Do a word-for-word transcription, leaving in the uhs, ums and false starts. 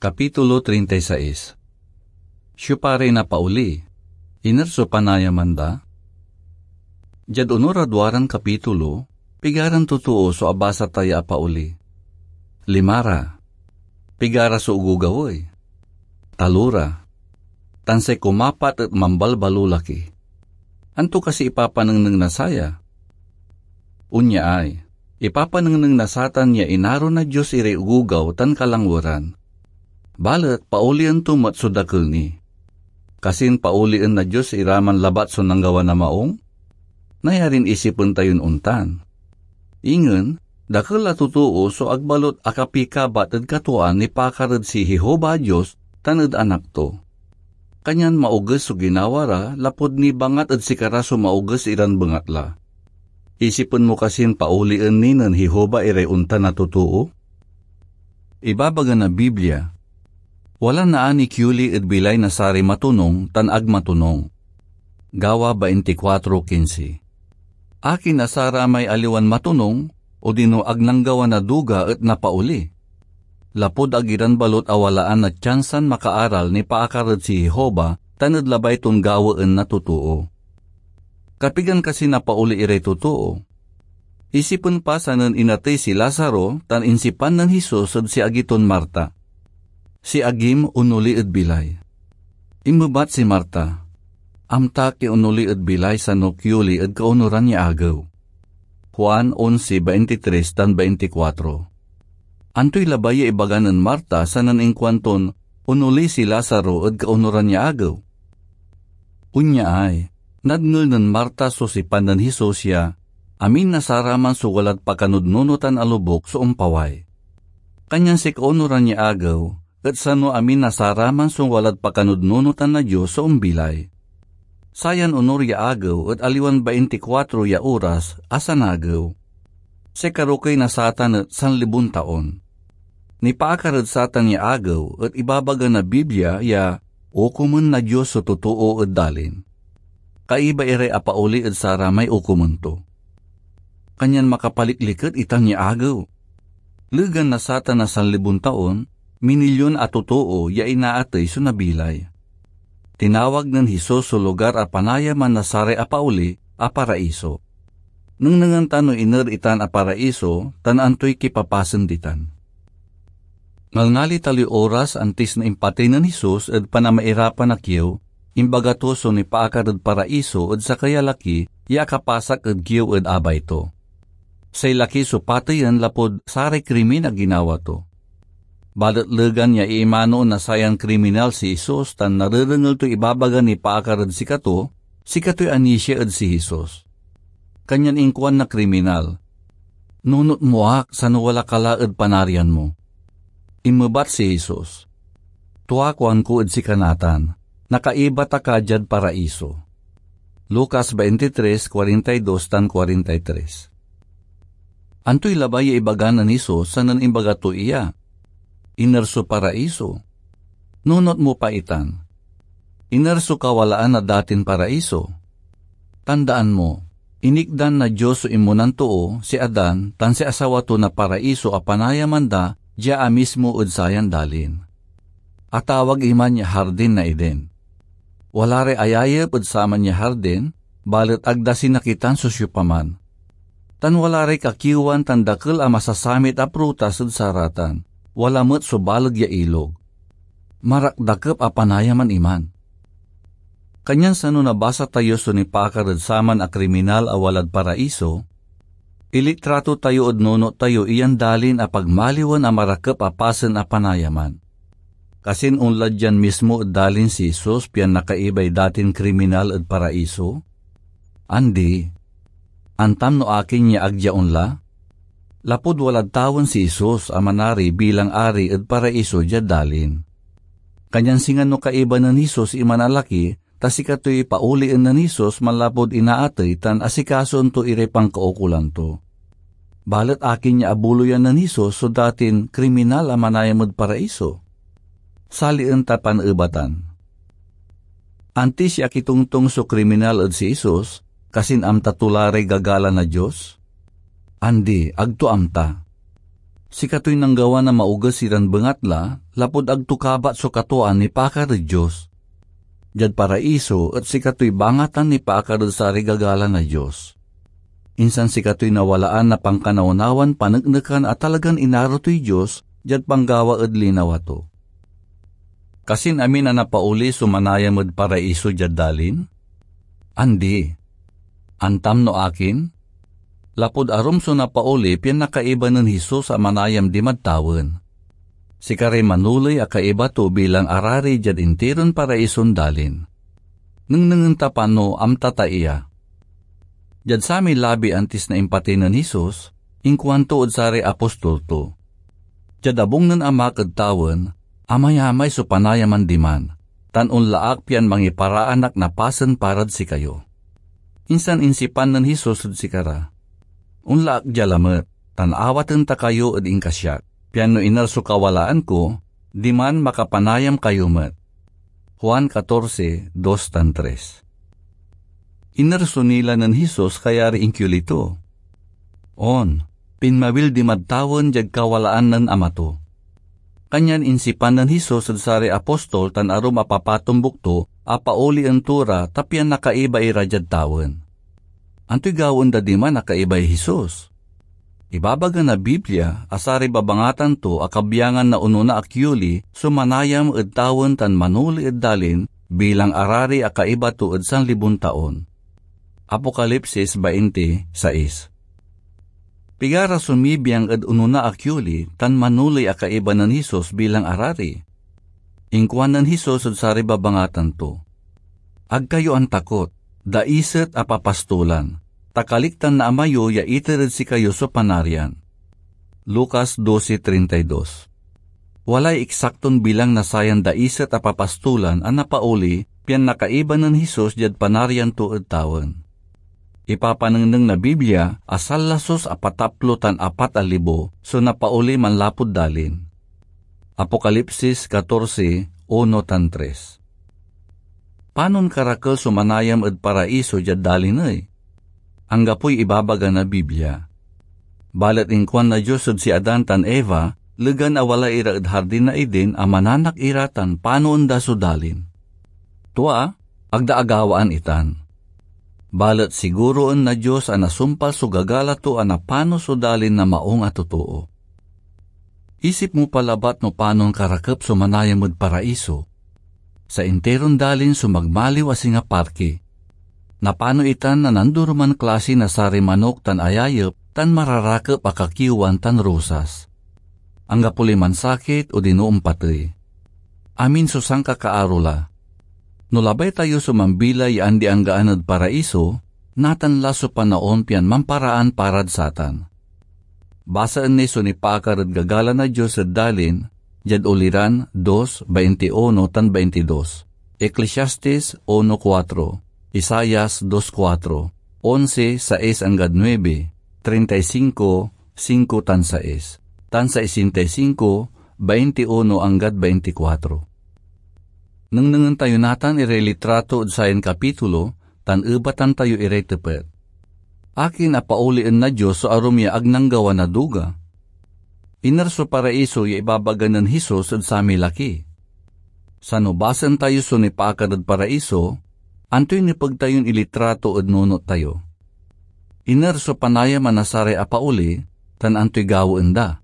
Kapitulo treinta y seis. Siopa ray napaoli? Iner so panayaman da? Diad onor a duaran kapitulo, pigaran totoo so abasa ta ya apaoli? Lima ra. Pigara so ogogaw ey? Talora. Tan say kumapat et mambalbalolaki. Anto kasi ipapanengneng na saya? Onya ay, ipapanengneng na satan ya inaro na Dios iray ogogaw tan kalangweran. Balet paolien to met so dakel ni. Kasin paolien na Dios iraman labat so nanggawa na maong? Nayarin isipen tayon ontan. Ingen, dakel a totoo so ag balot akapikabat ed katwaan nipaakar ed si Jehovah a Dios tan ed Anak to. Kanyan maoges so ginawa ra lapud nibangat ed sikara so maoges iran bengatla. Isipen mo kasin paolien ni nen Jehovah iray ontan a totoo? Ibabaga na Biblia, "Wala naani kioli ed bilay na saray matonung tan ag matonung." Gawa twenty-four quince. Akin a saramay aliwan matonung, odino ag nanggawa na duga et napaoli? Lapud ag iran balot a walaan na tiansan makaaral nipaakar ed si Jehovah tan ed labay ton gawaen na totoo. Kapigan kasi napaoli iray totoo? Isipen pa sanen inatey si Lazaro tan insipan nen Jesus ed si agi ton Marta. Si agim onoli ed bilay. Inmebat si Marta, "Amtak ya onoli ed bilay sano kioli ed kaonuran ya agew." Juan onse, baintitres tan baintikwatro. Antoy labay ya ibaga nen Marta sanen inkuanton onoli si Lazaro ed kaonuran ya agew? Onya ay, nadngel nen Marta so sipan nen Jesus ya amin na saraman so walad pakanudnunotan a lobuk so ompaway. Kanyan say kaonuran ya agew et sano amin na saraman so walad pakanudnunotan na Dios so ombilay. Sayan onor ya agew et aliwan baintikwatro ya oras a sanagew. Say karokey na satan et sanlibon taon. Nipaakar ed satan ya agew et ibabaga na Biblia ya okomen na Dios so totoo ed dalin. Kaiba iray apaoli ed saramay okomen to. Kanyan makapalikliket itan ya agew. Legan na satan a sanlibon taon, minilyon a totoo ya inaatey so nabilay. Tinawag nen Jesus so lugar a panayaman na saray apaoli a Paraiso. Nengnengen ta no iner itan a Paraiso tan antoy kipapasen ditan. Ngalngali taloy oras antis na impatey nen Jesus ed panamairapan a kiew, imbaga to so nipaakar ed Paraiso ed sakey a laki ya akapasak ed kiew ed abay to. Say laki so pateyen lapud saray krimin a ginawa to. Balet legan ya iimanoen na sayan kriminal si Jesus tan narerengel toy ibabagan nipaakar ed sikato, sikatoy anisia ed si Jesus. Kanyan inkuan na kriminal, "Nunot mo ak, sano wala ka la ed Panarian mo." Inmebat si Jesus, "Tua kuanko ed sika natan, nakaiba ta ka diad Paraiso." Lucas twenty-three, forty-two tan forty-three. Antoy labay ya ibaga nen Jesus sanen imbaga to iya? Iner so Paraiso? Nunot mo pa itan. Iner so kawalaan na datin Paraiso? Tandaan mo, inikdan na Dios so inmonan too, si Adan, tan si asawa to na Paraiso a panayaman da dia amismo ed sayan dalin. Atawag iman ya Hardin na Eden. Wala ray ayayep ed saman ya hardin, balet ag da sinakitan so siopaman. Tan wala ray kakiewan tan dakel a masasamit a prutas ed saratan, wala met so baleg ya ilog. Marakdakep a panayaman iman. Kanyan sano nabasa tayo so nipaakar ed saman a kriminal a walad Paraiso, ilitrato tayo ed nunot tayo iyan dalin a pagmaliwen a marakep a pasen a panayaman. Kasin onla dian mismo ed dalin si Jesus pian nakaibay datin kriminal ed Paraiso? Andi. Antam no akin ya ag dia onla? Lapud walad tawen si Jesus a manari bilang ari ed Paraiso diad dalin. Kanyan singa no kaiba nen Jesus iman a laki, ta sikatoy paolien nen Jesus manlapud inaatey tan asikasoen to iray pankaukolan to. Balet akin ya abuloyan nen Jesus so datin kriminal a manayam ed Paraiso? Salien ta paneebatan. Antis ya akitongtong so kriminal ed si Jesus, kasin amta to la ray gagala na Dios? Andi, ag to amta. Sikatoy nanggawa na maoges iran bengatla, lapud ag to kabat so katwaan nipaakar ed Dios. Diad Paraiso et sikatoy bangatan nipaakar ed saray gagala na Dios. Insan sikatoy nawalaan na pankanawnawan paneknekan a talagan inaro toy Dios diad panggawa ed linawa to. Kasin amin a napaoli so manayam ed Paraiso diad dalin? Andi. Antam no akin? Lapud arum so napaoli pian nakaiba nen Jesus a manayam dimad tawen. Sikaray manoley a kaiba to bilang arari diad intiron Paraison dalin. Nengnengen ta pano amta ta iya. Diad samay labi antis na impatey nen Jesus, inkuanto ed saray apostol to, "Diad abung nen Amak ed tawen, amayamay so panayaman diman, tan onla ak pian mangiparaan ak na pasen parad sikayo." Insan insipan nen Jesus ed sikara, "Onla ak dia lamet, tan awaten ta kayo ed inkasiak, pian no iner so kawalaan ko, diman makapanayam kayo met." Juan catorce, dos tan tres. Iner so nila nen Jesus, kayari inkioli to? On, pinmawil dimad tawen diad kawalaan nen Ama to. Kanyan insipan nen Jesus ed saray apostol tan arum a papatombuk to a paolien to ra ta pian nakaiba ira diad tawen. Antoy gawaen da diman a kaibay Jesus? Ibabaga na Biblia a saray babangatan to a kabyangan na onona a kioli so manayam ed tawen tan manoli ed dalin bilang arari a kaiba to ed sanlibon taon. Apokalipsis bainte sais. Pigara so mibiang ed onona a kioli tan manoli a kaiba nen Jesus bilang arari? Inkuan nen Jesus ed saray babangatan to, "Ag kayo antakot, daiset a papastolan, ta kaliktan na Ama yo ya iter ed sikayo so Panarian." Lucas doce treinta y dos. Walay eksakton bilang na sayan daiset a papastolan a napaoli pian nakaiba nen Jesus diad Panarian to ed tawen. Ipapanengneng na Biblia a sanlasus a pataplo tan apat a libo so napaoli manlapud dalin. Apokalipsis catorce, uno tan tres. Panon karakel so manayam ed Paraiso diad dalin ey? Anggapoy ibabaga na Biblia. Balet inkuan na Dios ed si Adan tan Eva, legan a wala ira ed Hardin na Eden, a mananak ira tan panoen da so dalin. Tua, ag da agawaan itan. Balet siguroen na Dios a nasumpal so gagala to a napano so dalin na maung a totoo. Isip mo pa labat no panon karakep so manayam ed Paraiso. Sa interon dalin so magmaliw a singa parke. Napano itan na nandoroman klase na saray manok tan ayayep tan mararakep a kakiwan tan rosas. Anggapo lay mansakit odino ompatey. Amin so sankakaaro la. No labay tayo so mambilay ya andi-anggaan ed Paraiso, natan la so panaon pian mamparaan parad satan. Basaen ni so nipaakar ed gagala na Dios ed dalin, diad Uliran dos, baintiuno tan baintidos, Eclesiastes uno kuatro, Isaias dos kuatro, onse, sais anggad nuebe, treinta y cinco, singko tan sais, tan sesenta y cinco, baintiuno anggad baintikuatro. Nengnengen tayo natan iray litrato ed sayan kapitulo tan ebatan tayo iray tepet. Akin a paolien na Dios so arum ya ag nanggawa na duga? Iner so Paraiso ya ibabaga nen Jesus ed samay laki? Sano basaen tayo so nipaakar ed Paraiso, antoy nepeg tayon ilitrato ed nunot tayo? Iner so panayaman na saray apaoli, tan antoy gawaen da?